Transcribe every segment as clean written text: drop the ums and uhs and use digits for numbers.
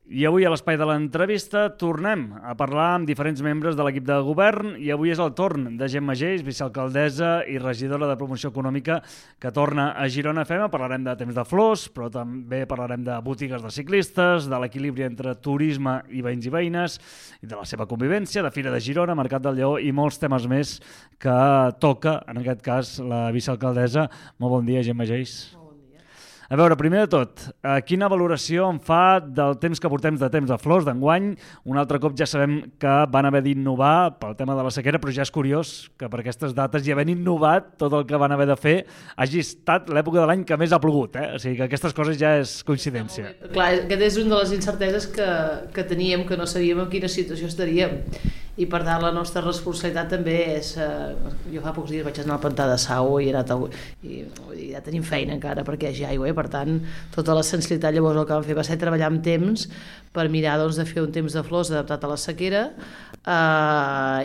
I avui a l'espai de l'entrevista tornem a parlar amb diferents membres de l'equip de govern i avui és el torn de Gemma Geis, vicealcaldessa i regidora de Promoció Econòmica, que torna a Girona FM. Parlarem de temps de flors, però també parlarem de botigues de ciclistes, de l'equilibri entre turisme i veïns i veïnes, i de la seva convivència, de Fira de Girona, Mercat del Lleó i molts temes més que toca, en aquest cas, la vicealcaldessa. Molt bon dia, Gemma Geis. A veure, primer de tot, quina valoració en fa del temps que portem de temps de flors d'enguany? Un altre cop ja sabem que van haver d'innovar pel tema de la sequera, però ja és curiós que per aquestes dates i havent innovat tot el que van haver de fer hagi estat l'època de l'any que més ha plogut, O sigui que aquestes coses ja és coincidència. Clar, aquesta és una de les incerteses que teníem, que no sabíem en quina situació estaríem. I per tant la nostra responsabilitat també és... jo fa pocs dies vaig anar al pantà de Sau i ja tenim feina encara perquè hi hagi aigua, per tant tota la sensibilitat llavors el que vam fer va ser treballar amb temps per mirar de fer un temps de flors adaptat a la sequera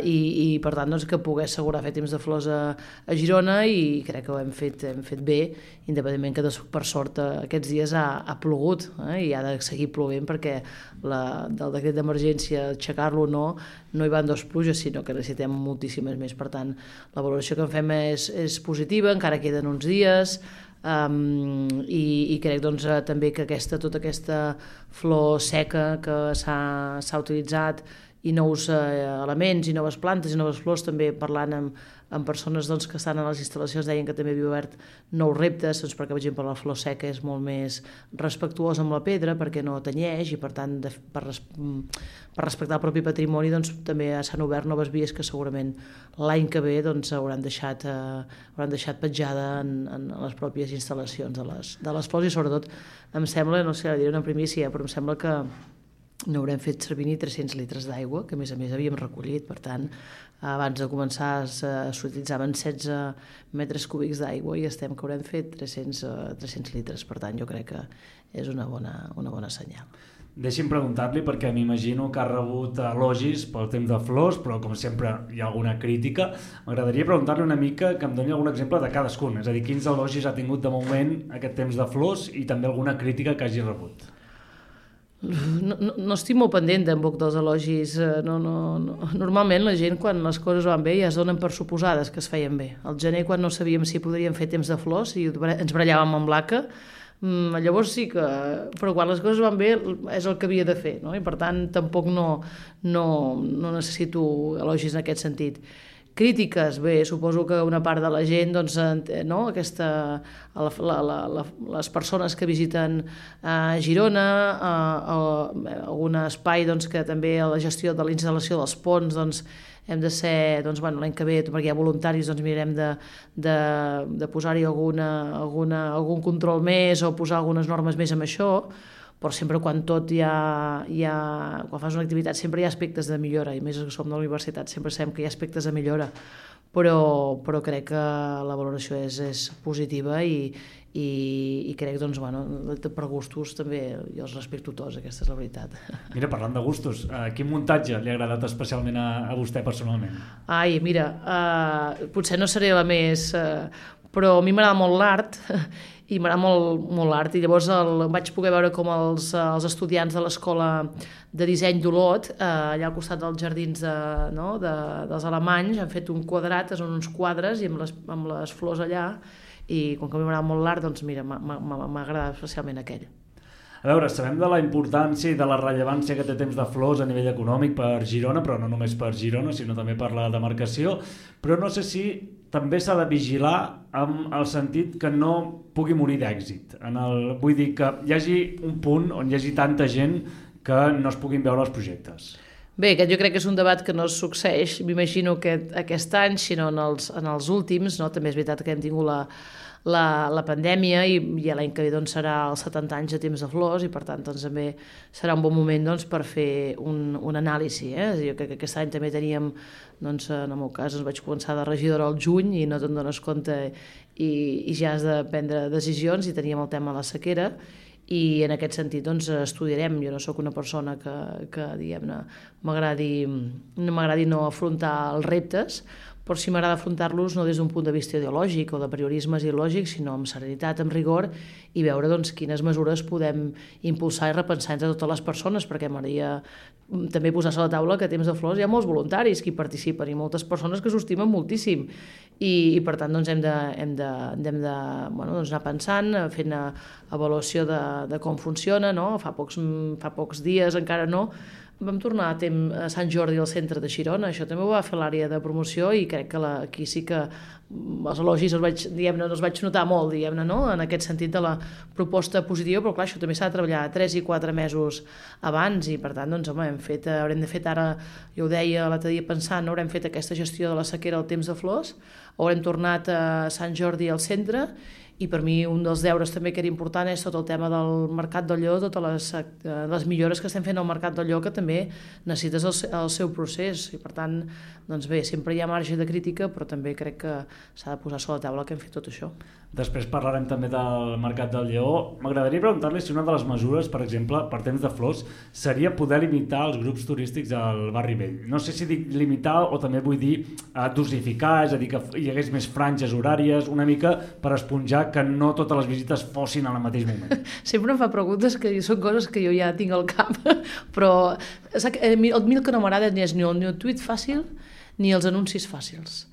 i per tant que pogués assegurar fer temps de flors a Girona, i crec que ho hem fet bé, independentment que per sort aquests dies ha plogut i ha de seguir plovent perquè del decret d'emergència aixecar-lo no hi van dos pluges, sinó que necessitem moltíssimes més. Per tant, la valoració que en fem és positiva, encara queden uns dies, i crec també que tota aquesta flor seca que s'ha utilitzat i nous elements i noves plantes i noves flors, també parlant amb persones que estan a les instal·lacions, deien que també havia obert nous reptes, perquè per exemple la flor seca és molt més respectuosa amb la pedra perquè no tenyeix, i per tant per respectar el propi patrimoni també s'han obert noves vies que segurament l'any que ve hauran deixat petjada en les pròpies instal·lacions de les flors. I sobretot em sembla, no sé, diré una primícia, però em sembla que no haurem fet servir ni 300 litres d'aigua, que a més havíem recollit. Per tant, abans de començar s'utilitzaven 16 metres cúbics d'aigua i estem que haurem fet 300 litres. Per tant, jo crec que és una bona senyal. Deixi'm preguntar-li, perquè m'imagino que ha rebut elogis pel temps de flors, però com sempre hi ha alguna crítica. M'agradaria preguntar-li una mica que em doni algun exemple de cadascun, és a dir, quins elogis ha tingut de moment aquest temps de flors i també alguna crítica que hagi rebut. No estic molt pendent tampoc dels elogis. Normalment la gent, quan les coses van bé, ja es donen per suposades que es feien bé. Al gener, quan no sabíem si podríem fer temps de flors i ens barallàvem amb l'ACA, llavors sí que... Però quan les coses van bé és el que havia de fer, no? I per tant tampoc no necessito elogis en aquest sentit. Crítiques, bé, suposo que una part de la gent, les persones que visiten Girona, algun espai que també a la gestió de la instal·lació dels ponts hem de ser, l'any que ve, perquè hi ha voluntaris, mirarem de posar-hi algun control més o posar algunes normes més amb això. Però sempre quan quan fas una activitat sempre hi ha aspectes de millora, i més que som de la universitat sempre sabem que hi ha aspectes de millora, però crec que la valoració és positiva i crec per gustos també jo els respecto tots, aquesta és la veritat. Mira, parlant de gustos, quin muntatge li ha agradat especialment a vostè personalment? Mira, potser no seré la més... però a mi m'agrada molt l'art i m'agrada molt l'art, i llavors vaig poder veure com els estudiants de l'escola de disseny d'Olot, allà al costat dels jardins dels alemanys, han fet un quadrat, són uns quadres i amb les flors allà, i com que a mi m'agrada molt l'art, mira, m'ha agradat especialment aquell. A veure, sabem de la importància i de la rellevància que té temps de flors a nivell econòmic per Girona, però no només per Girona, sinó també per la demarcació, però no sé si també s'ha de vigilar amb el sentit que no pugui morir d'èxit. Vull dir que hi hagi un punt on hi hagi tanta gent que no es puguin veure els projectes. Bé, aquest jo crec que és un debat que no succeeix, m'imagino que aquest any, sinó en els últims, també és veritat que hem tingut la pandèmia i l'any que ve serà els 70 anys de temps de flors, i per tant també serà un bon moment per fer un anàlisi. Jo crec que aquest any també teníem, en el meu cas vaig començar de regidora al juny i no te'n dones compte i ja has de prendre decisions, i teníem el tema de la sequera, i en aquest sentit estudiarem. Jo no sóc una persona que diguem-ne m'agradi no afrontar els reptes, però sí m'agrada afrontar-los no des d'un punt de vista ideològic o de priorismes ideològics, sinó amb serenitat, amb rigor, i veure doncs, quines mesures podem impulsar i repensar entre totes les persones, perquè m'agradaria també posar a la taula que a Temps de Flors hi ha molts voluntaris que hi participen i moltes persones que s'ho estimen moltíssim, i per tant doncs, hem de anar pensant, fent avaluació de com funciona, no? Fa pocs dies, encara no, vam tornar a Sant Jordi al centre de Girona, això també ho va fer l'àrea de promoció i crec que aquí sí que els elogis els vaig notar molt, no? En aquest sentit de la proposta positiva, però clar, això també s'ha de treballar 3 i 4 mesos abans i per tant, doncs, home, haurem de fer ara, jo ho deia l'altre dia pensant, haurem fet aquesta gestió de la sequera al Temps de Flors, haurem tornat a Sant Jordi al centre, i per mi un dels deures també que era important és tot el tema del Mercat del Lleó, totes les millores que estem fent al Mercat del Lleó, que també necessites el seu procés, i per tant, doncs bé, sempre hi ha marge de crítica, però també crec que s'ha de posar sobre la taula que hem fet tot això. Després parlarem també del Mercat del Lleó. M'agradaria preguntar-li si una de les mesures, per exemple, per Temps de Flors, seria poder limitar els grups turístics al barri vell. No sé si dic limitar o també vull dir dosificar, és a dir, que hi hagués més franges horàries, una mica per esponjar que no totes les visites fossin al mateix moment. Sempre em fa preguntes que són coses que jo ja tinc al cap, però el que no m'agrada ni és ni el tuit fàcil ni els anuncis fàcils.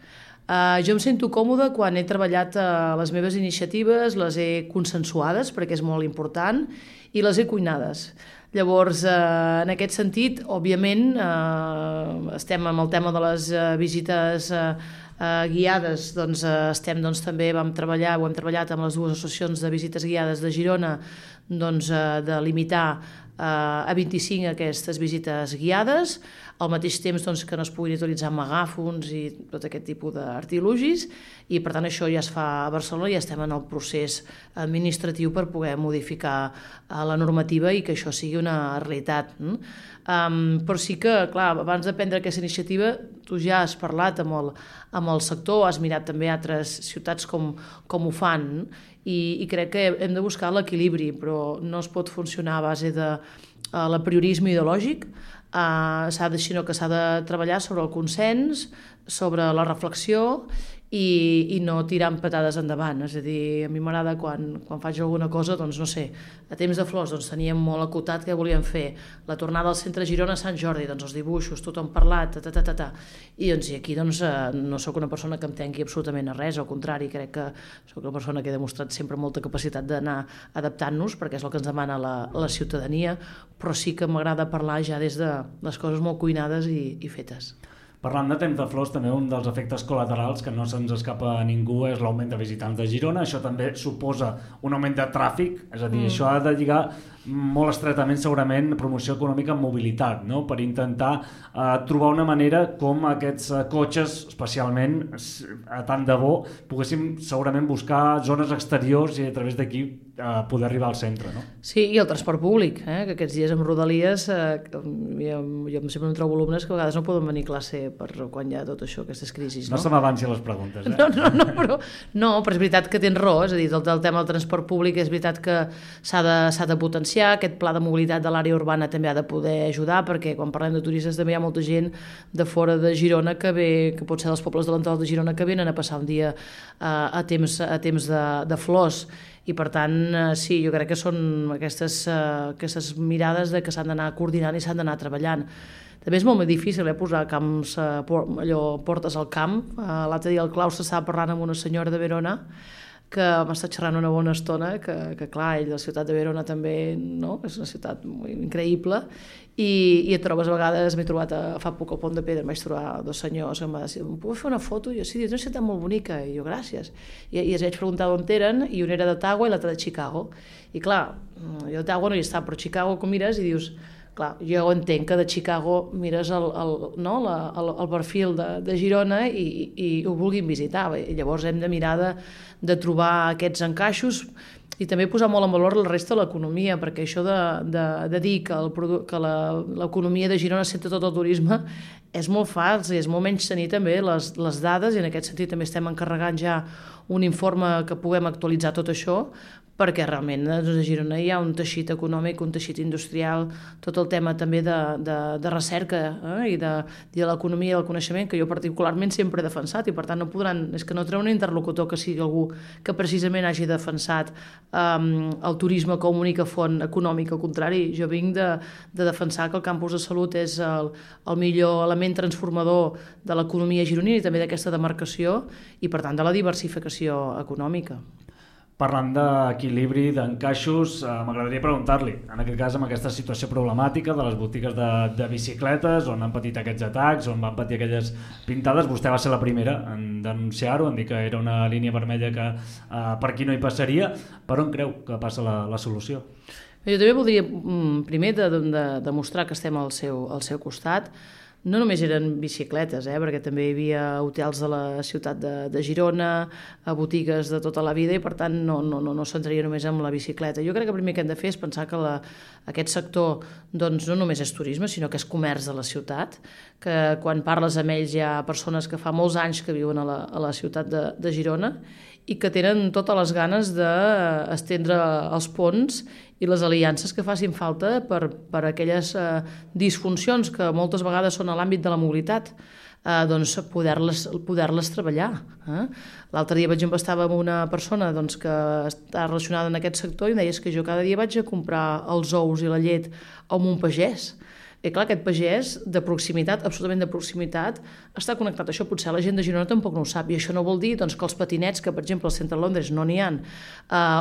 Jo em sento còmode quan he treballat les meves iniciatives, les he consensuades, perquè és molt important, i les he cuinades. Llavors, en aquest sentit, òbviament, estem amb el tema de les visites guiades, doncs també ho hem treballat amb les dues associacions de visites guiades de Girona, doncs de limitar a 25 aquestes visites guiades, al mateix temps doncs, que no es puguin utilitzar megàfons i tot aquest tipus d'artilugis, i per tant això ja es fa a Barcelona i ja estem en el procés administratiu per poder modificar la normativa i que això sigui una realitat. Però sí que, clar, abans de prendre aquesta iniciativa, tu ja has parlat amb el sector, has mirat també altres ciutats com ho fan, i crec que hem de buscar l'equilibri, però no es pot funcionar a base de l'apriorisme ideològic, sinó que s'ha de treballar sobre el consens, sobre la reflexió i no tirar amb patades endavant. És a dir, a mi m'agrada quan faig alguna cosa, doncs no sé, a Temps de Flors doncs, teníem molt acotat què volíem fer, la tornada al centre Girona a Sant Jordi, doncs els dibuixos, tothom parlat, i doncs aquí doncs, no sóc una persona que em tenqui absolutament a res, al contrari, crec que sóc una persona que he demostrat sempre molta capacitat d'anar adaptant-nos, perquè és el que ens demana la ciutadania, però sí que m'agrada parlar ja des de les coses molt cuinades i fetes. Parlant de Temps de Flors, també un dels efectes col·laterals que no se'ns escapa a ningú és l'augment de visitants de Girona. Això també suposa un augment de tràfic, és a dir, això ha de lligar molt estretament segurament promoció econòmica amb mobilitat, no? Per intentar trobar una manera com aquests cotxes, especialment tant de bo, poguéssim segurament buscar zones exteriors i a través d'aquí poder arribar al centre, no? Sí, i el transport públic, que aquests dies amb Rodalies jo sempre em trobo alumnes que a vegades no poden venir a classe per quan hi ha tot això, aquestes crisis. No se m'avanci les preguntes, No, però és veritat que tens raó, és a dir, el tema del transport públic és veritat que s'ha de potenciar, aquest pla de mobilitat de l'àrea urbana també ha de poder ajudar, perquè quan parlem de turistes també hi ha molta gent de fora de Girona que pot ser dels pobles de l'entorn de Girona que venen a passar un dia a temps de Flors, i per tant sí, jo crec que són aquestes mirades que s'han d'anar coordinant i s'han d'anar treballant. També és molt més difícil posar camps, portes al camp. L'altre dia el Claus estava parlant amb una senyora de Verona que m'ha estat xerrant una bona estona, que clar, ell, la ciutat de Verona també, no? És una ciutat increïble, i et trobes a vegades, m'he trobat fa poc al Pont de Pedra, em vaig trobar dos senyors que em va dir, em puc fer una foto? I jo, sí, és una ciutat molt bonica, i jo, gràcies. I els vaig preguntar on eren, i una era d'Ottawa i l'altra de Chicago. I clar, jo d'Ottawa no hi està, però Chicago, com mires i dius, clar, jo entenc que de Chicago mires el perfil de Girona i ho vulguin visitar. I llavors hem de mirar de trobar aquests encaixos i també posar molt en valor la resta de l'economia, perquè això de dir que l'economia de Girona centra tot el turisme és molt fals i és molt menys tenir també les dades, i en aquest sentit també estem encarregant ja un informe que puguem actualitzar tot això, perquè realment a Girona hi ha un teixit econòmic, un teixit industrial, tot el tema també de recerca i de l'economia i el coneixement, que jo particularment sempre he defensat, i per tant és que no treu un interlocutor que sigui algú que precisament hagi defensat el turisme com a única font econòmica. Al contrari, jo vinc de defensar que el campus de salut és el millor element transformador de l'economia gironina i també d'aquesta demarcació i per tant de la diversificació econòmica. Parlant d'equilibri, d'encaixos, m'agradaria preguntar-li, en aquest cas amb aquesta situació problemàtica de les botigues de bicicletes, on han patit aquests atacs, on van patir aquelles pintades, vostè va ser la primera en denunciar-ho, en dir que era una línia vermella que per aquí no hi passaria. Per on creu que passa la solució? Jo també voldria, primer, demostrar que estem al seu costat. No només eren bicicletes, perquè també hi havia hotels de la ciutat de Girona, botigues de tota la vida, i per tant no s'entraria només amb la bicicleta. Jo crec que el primer que hem de fer és pensar que aquest sector doncs, no només és turisme, sinó que és comerç de la ciutat, que quan parles amb ells hi ha persones que fa molts anys que viuen a la ciutat de Girona i que tenen totes les ganes d'estendre els ponts i les aliances que facin falta per aquelles disfuncions que moltes vegades són a l'àmbit de la mobilitat, doncs poder-les treballar. L'altre dia, per exemple, estava amb una persona que està relacionada en aquest sector i em deia que jo cada dia vaig a comprar els ous i la llet a un pagès. I clar, aquest pagès de proximitat, absolutament de proximitat, està connectat a això. Potser la gent de Girona tampoc no ho sap, i això no vol dir que els patinets, que per exemple al centre de Londres no n'hi ha,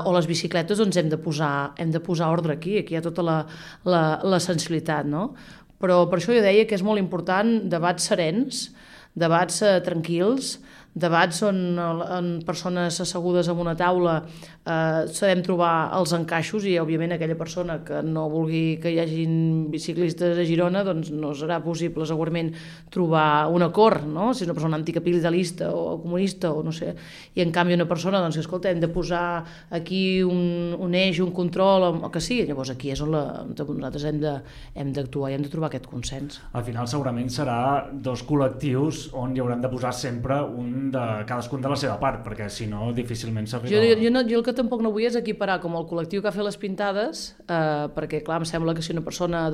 o les bicicletes, doncs hem de posar ordre aquí hi ha tota la sensibilitat, no? Però per això jo deia que és molt important debats serens, debats tranquils, debats on persones assegudes en una taula sabem trobar els encaixos, i òbviament aquella persona que no vulgui que hi hagin biciclistes a Girona, doncs no serà possible segurament trobar un acord, no? Si és una persona anticapitalista o comunista o no sé, i en canvi una persona que escolta, hem de posar aquí un eix, un control o que sigui, llavors aquí és on nosaltres hem d'actuar i hem de trobar aquest consens. Al final segurament serà dos col·lectius on hi hauran de posar sempre de cadascun de la seva part, perquè si no difícilment s'arriba... Jo el que tampoc no vull és equiparar com el col·lectiu que ha fet les pintades, perquè clar, em sembla que si una persona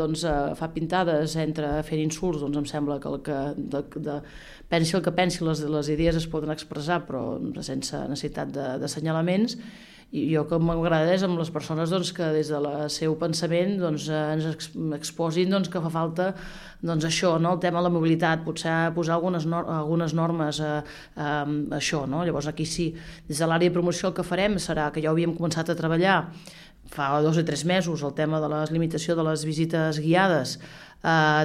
fa pintades, entra fent insults, doncs em sembla que pensi el que pensi, les idees es poden expressar, però sense necessitat d'assenyalaments. I jo que m'agrada és amb les persones que des del seu pensament ens exposin que fa falta això, el tema de la mobilitat, potser posar algunes normes, això, no? Llavors aquí sí, des de l'àrea de promoció el que farem serà que ja havíem començat a treballar fa 2 o 3 mesos el tema de la limitació de les visites guiades,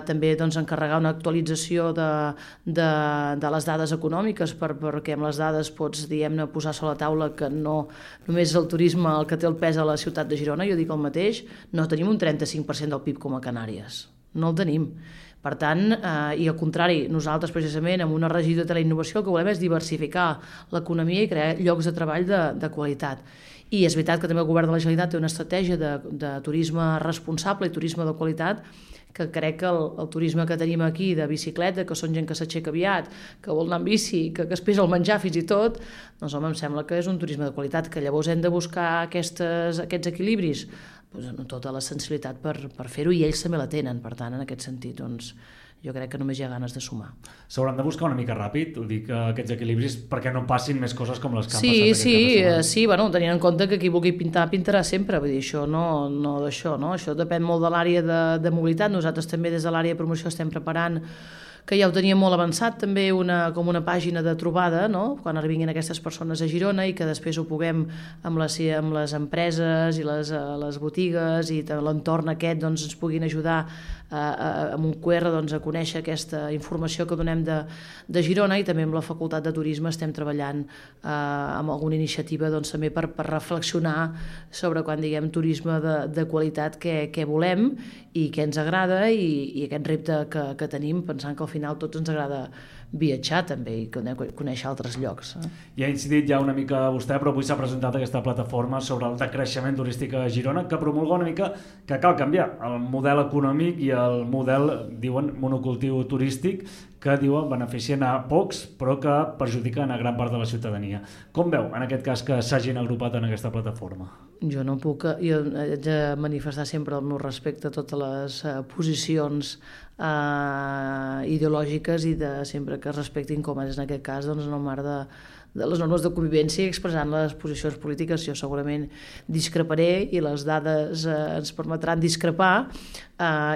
també encarregar una actualització de les dades econòmiques, perquè amb les dades pots, diguem-ne, posar sobre la taula que no només el turisme el que té el pes a la ciutat de Girona. Jo dic el mateix, no tenim un 35% del PIB com a Canàries, no el tenim. Per tant, i al contrari, nosaltres precisament amb una regió de teleinnovació el que volem és diversificar l'economia i crear llocs de treball de qualitat. I és veritat que també el govern de la Generalitat té una estratègia de turisme responsable i turisme de qualitat, que crec que el turisme que tenim aquí de bicicleta, que són gent que s'aixeca aviat, que vol anar en bici, que es pesa el menjar fins i tot, doncs home, em sembla que és un turisme de qualitat, que llavors hem de buscar aquests equilibris, amb tota la sensibilitat per fer-ho, i ells també la tenen. Per tant, en aquest sentit, doncs, jo crec que només hi ha ganes de sumar. S'hauran de buscar una mica ràpid, ho dic, aquests equilibris, perquè no passin més coses com les que han passat aquest cap de setmana. Sí, tenint en compte que qui vulgui pintar, pintarà sempre, vull dir, això no d'això, no? Això depèn molt de l'àrea de mobilitat. Nosaltres també des de l'àrea de promoció estem preparant, que ja ho teníem molt avançat, també com una pàgina de trobada, no? Quan arribin aquestes persones a Girona, i que després ho puguem amb les empreses i les botigues i l'entorn aquest ens puguin ajudar amb un QR a conèixer aquesta informació que donem de Girona, i també amb la Facultat de Turisme estem treballant amb alguna iniciativa també per reflexionar sobre quan diguem turisme de qualitat què volem i què ens agrada, i aquest repte que tenim, pensant que al final tots ens agrada viatjar també i conèixer altres llocs. I ha incidit ja una mica vostè, però avui s'ha presentat aquesta plataforma sobre el decreixement turístic a Girona, que promulga una mica que cal canviar el model econòmic i el model, diuen, monocultiu turístic, que diuen beneficien a pocs però que perjudiquen a gran part de la ciutadania. Com veu en aquest cas que s'hagin agrupat en aquesta plataforma? Jo no puc, jo he de manifestar sempre el meu respecte a totes les posicions ideològiques i de sempre que es respectin, com és en aquest cas, doncs, en el marc de les normes de convivència i expressant les posicions polítiques. Jo segurament discreparé i les dades ens permetran discrepar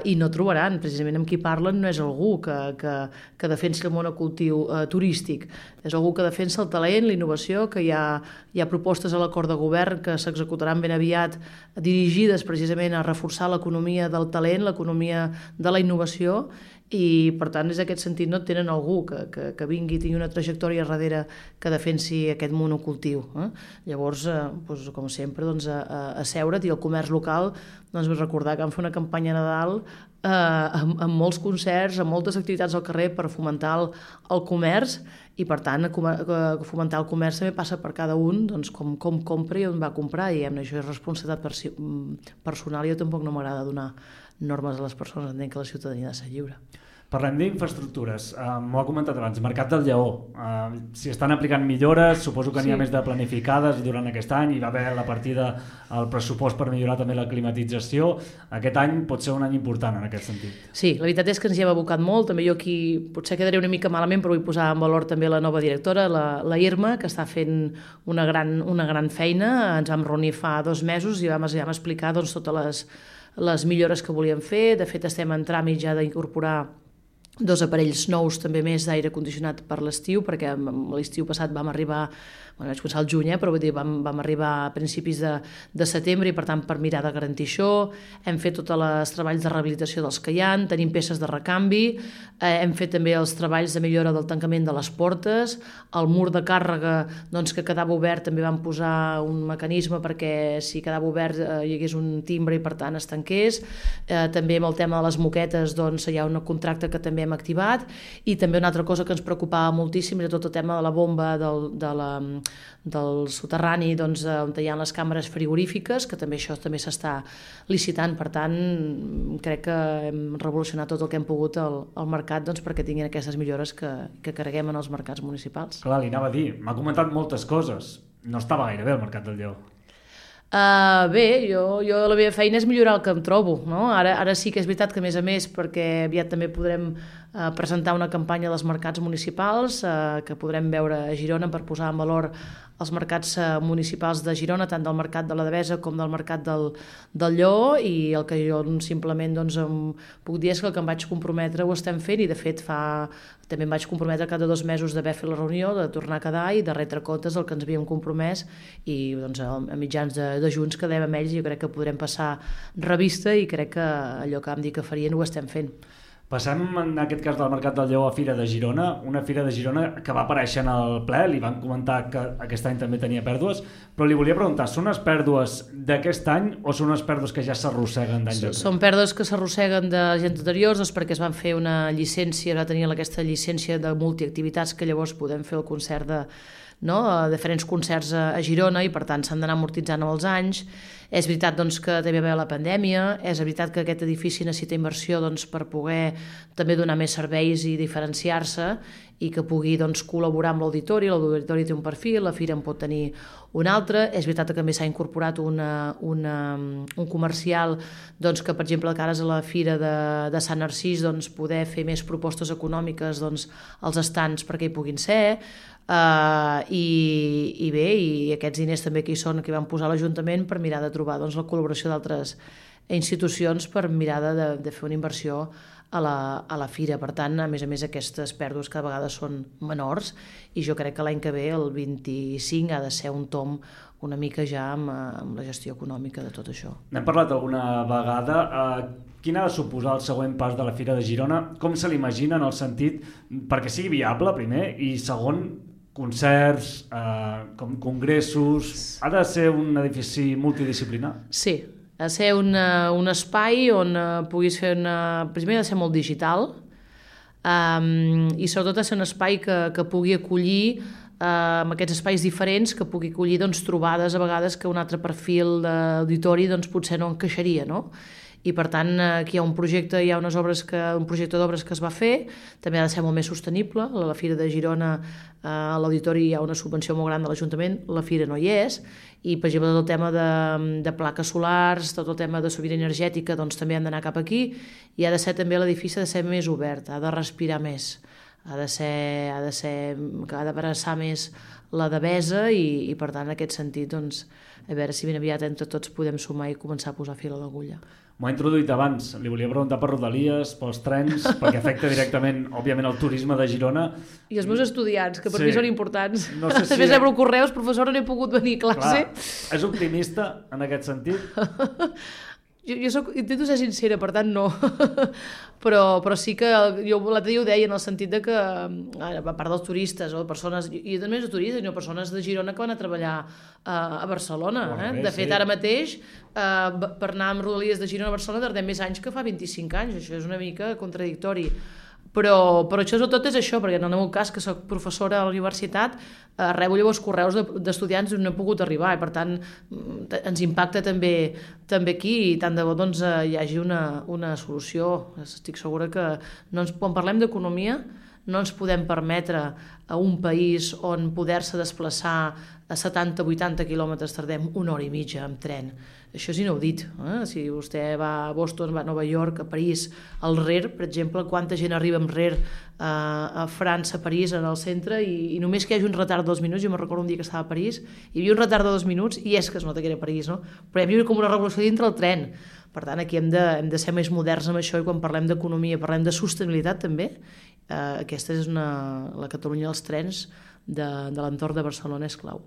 i no trobaran, precisament amb qui parlen no és algú que defensi el monocultiu turístic, és algú que defensa el talent, la innovació, que hi ha propostes a l'acord de govern que s'executaran ben aviat dirigides precisament a reforçar l'economia del talent, l'economia de la innovació, i per tant és aquest sentit no tenen algú que vingui i tingui una trajectòria darrere que defensi aquest monocultiu. Llavors, doncs, com sempre, doncs, a seure't, i el comerç local, doncs, vull recordar que vam fer una campanya a Nadal amb molts concerts, amb moltes activitats al carrer per fomentar el comerç, i per tant fomentar el comerç també passa per cada un, doncs, com compra i on va comprar, i això és responsabilitat personal, i jo tampoc no m'agrada donar normes a les persones, entenc que la ciutadania ha de ser lliure. Parlem d'infraestructures. M'ho ha comentat abans, Mercat del Lleó. Si estan aplicant millores, suposo que n'hi ha més de planificades durant aquest any, hi va haver la partida al pressupost per millorar també la climatització. Aquest any pot ser un any important en aquest sentit. Sí, la veritat és que ens hi hem abocat molt. També jo aquí potser quedaré una mica malament, però vull posar en valor també la nova directora, la Irma, que està fent una gran feina. Ens vam reunir fa 2 mesos i vam explicar, doncs, totes les millores que volíem fer. De fet, estem en tràmit ja d'incorporar 2 aparells nous també més d'aire condicionat per l'estiu, perquè l'estiu passat vam arribar, vaig començar al juny, però vull dir, vam arribar a principis de setembre, i per tant per mirar de garantir això hem fet tots els treballs de rehabilitació dels que hi ha, tenim peces de recanvi, hem fet també els treballs de millora del tancament de les portes, el mur de càrrega, doncs, que quedava obert, també vam posar un mecanisme perquè si quedava obert hi hagués un timbre i per tant es tanqués. També amb el tema de les moquetes, doncs, hi ha un contracte que també hem activat, i també una altra cosa que ens preocupava moltíssim era tot el tema de la bomba del soterrani, doncs, on hi ha les càmeres frigorífiques, que també això també s'està licitant. Per tant, crec que hem revolucionat tot el que hem pogut al mercat, doncs, perquè tinguin aquestes millores que carreguem en els mercats municipals. Clar, li anava a dir, m'ha comentat moltes coses, no estava gaire bé el Mercat del Lleó. Bé, jo la meva feina és millorar el que em trobo, no? Ara sí que és veritat que, a més, perquè aviat també podrem presentar una campanya dels mercats municipals que podrem veure a Girona per posar en valor els mercats municipals de Girona, tant del mercat de la Devesa com del mercat del Lleó, i el que jo simplement, doncs, puc dir és que el que em vaig comprometre ho estem fent, i de fet també em vaig comprometre cada 2 mesos d'haver fet la reunió, de tornar a quedar i de retre comptes del que ens havíem compromès, i doncs, a mitjans de junts quedem amb ells, i jo crec que podrem passar revista, i crec que allò que vam dir que farien ho estem fent. Passem, en aquest cas del Mercat del Lleó, a Fira de Girona, una Fira de Girona que va aparèixer en el ple, li van comentar que aquest any també tenia pèrdues, però li volia preguntar, són unes pèrdues d'aquest any o són unes pèrdues que ja s'arrosseguen d'anys enrere? Són pèrdues que s'arrosseguen d'anys anteriors, doncs, perquè es van fer una llicència, va tenir aquesta llicència de multiactivitats, que llavors podem fer el concert de diferents concerts a Girona, i per tant s'han d'anar amortitzant amb els anys. És veritat, doncs, que també va haver la pandèmia, és veritat que aquest edifici necessita inversió, doncs, per poder també donar més serveis i diferenciar-se, i que pugui, doncs, col·laborar amb l'auditori. L'auditori té un perfil, la fira en pot tenir un altre. És veritat que també s'ha incorporat un comercial, doncs, que per exemple de cares a la fira de Sant Narcís, doncs, poder fer més propostes econòmiques, doncs, als estants perquè hi puguin ser. I bé, i aquests diners també que hi són, que van posar l'Ajuntament per mirar de trobar, doncs, la col·laboració d'altres institucions per mirar de fer una inversió a la fira. Per tant, a més, aquestes pèrdues cada vegada són menors, i jo crec que l'any que ve, el 25, ha de ser un tomb una mica ja amb la gestió econòmica de tot això. N'hem parlat alguna vegada. Quin ha de suposar el següent pas de la Fira de Girona? Com se l'imagina en el sentit perquè sigui viable, primer, i segon, concerts, congressos... Ha de ser un edifici multidisciplinar? Sí, ha de ser un espai on puguis fer primer ha de ser molt digital, i sobretot ha de ser un espai que pugui acollir amb aquests espais diferents, que pugui acollir doncs, trobades a vegades que un altre perfil d'auditori doncs, potser no encaixaria, no? I per tant aquí hi ha un projecte d'obres que es va fer, també ha de ser molt més sostenible. A la Fira de Girona a l'auditori hi ha una subvenció molt gran de l'Ajuntament, la Fira no hi és, i per exemple tot el tema de plaques solars, tot el tema de sobirania energètica doncs també han d'anar cap aquí, i ha de ser també l'edifici ha de ser més obert, ha de respirar més, ha d'abraçar més la devesa i per tant en aquest sentit doncs, a veure si ben aviat entre tots podem sumar i començar a posar fil a l'agulla. M'ho ha introduït abans, li volia preguntar per Rodalies, pels trens, perquè afecta directament, òbviament, el turisme de Girona. I els meus estudiants, que per mi són importants. No sé si... Després rebre correus, professora, no he pogut venir a classe. Clar, és optimista en aquest sentit? Jo intento ser sincera, per tant no, però sí que jo l'altre dia ho deia en el sentit de que a part dels turistes o persones, i també de turistes, sinó persones de Girona que van a treballar a Barcelona, de fet ara mateix per anar amb Rodalies de Girona a Barcelona tardem més anys que fa 25 anys, això és una mica contradictori. Però això tot és això, perquè en el meu cas, que soc professora a la universitat, rebo llavors correus d'estudiants on no he pogut arribar, i per tant ens impacta també aquí, i tant de bo doncs, hi hagi una solució. Estic segura que quan parlem d'economia no ens podem permetre a un país on poder-se desplaçar a 70-80 quilòmetres tardem 1 hora i mitja amb tren. Això és inaudit. Si vostè va a Boston, va a Nova York, a París, al RER, per exemple, quanta gent arriba amb RER a França, a París, en el centre, i només que hi hagi un retard de 2 minuts, jo me'n recordo un dia que estava a París, hi havia un retard de 2 minuts, i és que es nota que era a París, no? Però hi havia com una revolució dintre el tren. Per tant, aquí hem de ser més moderns amb això, i quan parlem d'economia, parlem de sostenibilitat també. Aquesta és la Catalunya dels trens de l'entorn de Barcelona és clau.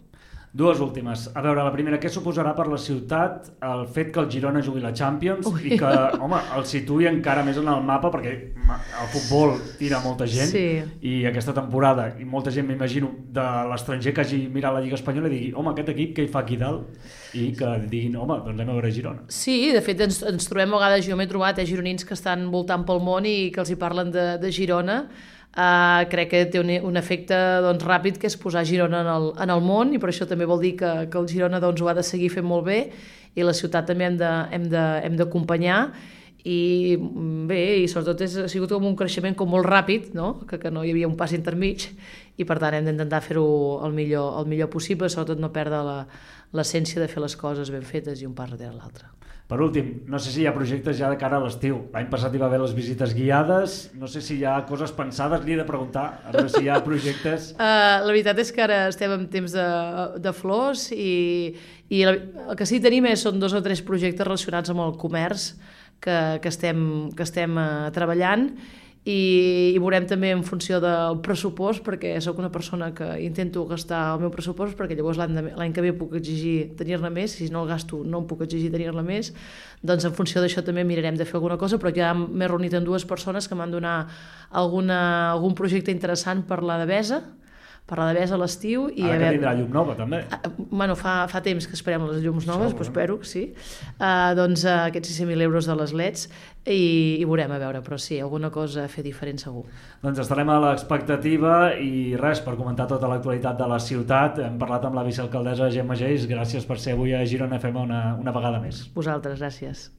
Dues últimes. A veure, la primera, què suposarà per la ciutat el fet que el Girona jugui la Champions i que, home, el situï encara més en el mapa, perquè el futbol tira molta gent, i aquesta temporada, i molta gent, m'imagino, de l'estranger que hagi mirat la Lliga Espanyola i digui, home, aquest equip que hi fa aquí dalt, i que diguin, home, doncs anem a veure Girona. Sí, de fet ens trobem a vegades, jo m'he trobat gironins que estan voltant pel món i que els hi parlen de Girona. Crec que té un efecte ràpid, que és posar Girona en el món, i per això també vol dir que el Girona ho ha de seguir fent molt bé, i la ciutat també hem d'acompanyar, i bé, i sobretot ha sigut com un creixement molt ràpid, que no hi havia un pas intermig, i per tant hem d'intentar fer-ho el millor possible, sobretot no perdre l'essència de fer les coses ben fetes i un pas darrere l'altre. Per últim, no sé si hi ha projectes ja de cara a l'estiu. L'any passat hi va haver les visites guiades, no sé si hi ha coses pensades, li he de preguntar, a veure si hi ha projectes. La veritat és que ara estem en temps de flors, i el que sí que tenim són 2 o 3 projectes relacionats amb el comerç que estem treballant, i veurem també en funció del pressupost, perquè sóc una persona que intento gastar el meu pressupost, perquè llavors l'any que ve puc exigir tenir-ne més, si no el gasto no em puc exigir tenir-ne més, doncs en funció d'això també mirarem de fer alguna cosa, però ja m'he reunit amb 2 persones que m'han donat algun projecte interessant per la Devesa, a l'estiu. Ara que tindrà llum nova, també. Bueno, fa temps que esperem les llums noves, però espero, sí. Doncs aquests 600.000 euros de les LEDs, i veurem, a veure, però sí, alguna cosa a fer diferent segur. Doncs estarem a l'expectativa, i res, per comentar tota l'actualitat de la ciutat. Hem parlat amb la vicealcaldessa Gemma Geis. Gràcies per ser avui a Girona FM una vegada més. Vosaltres, gràcies.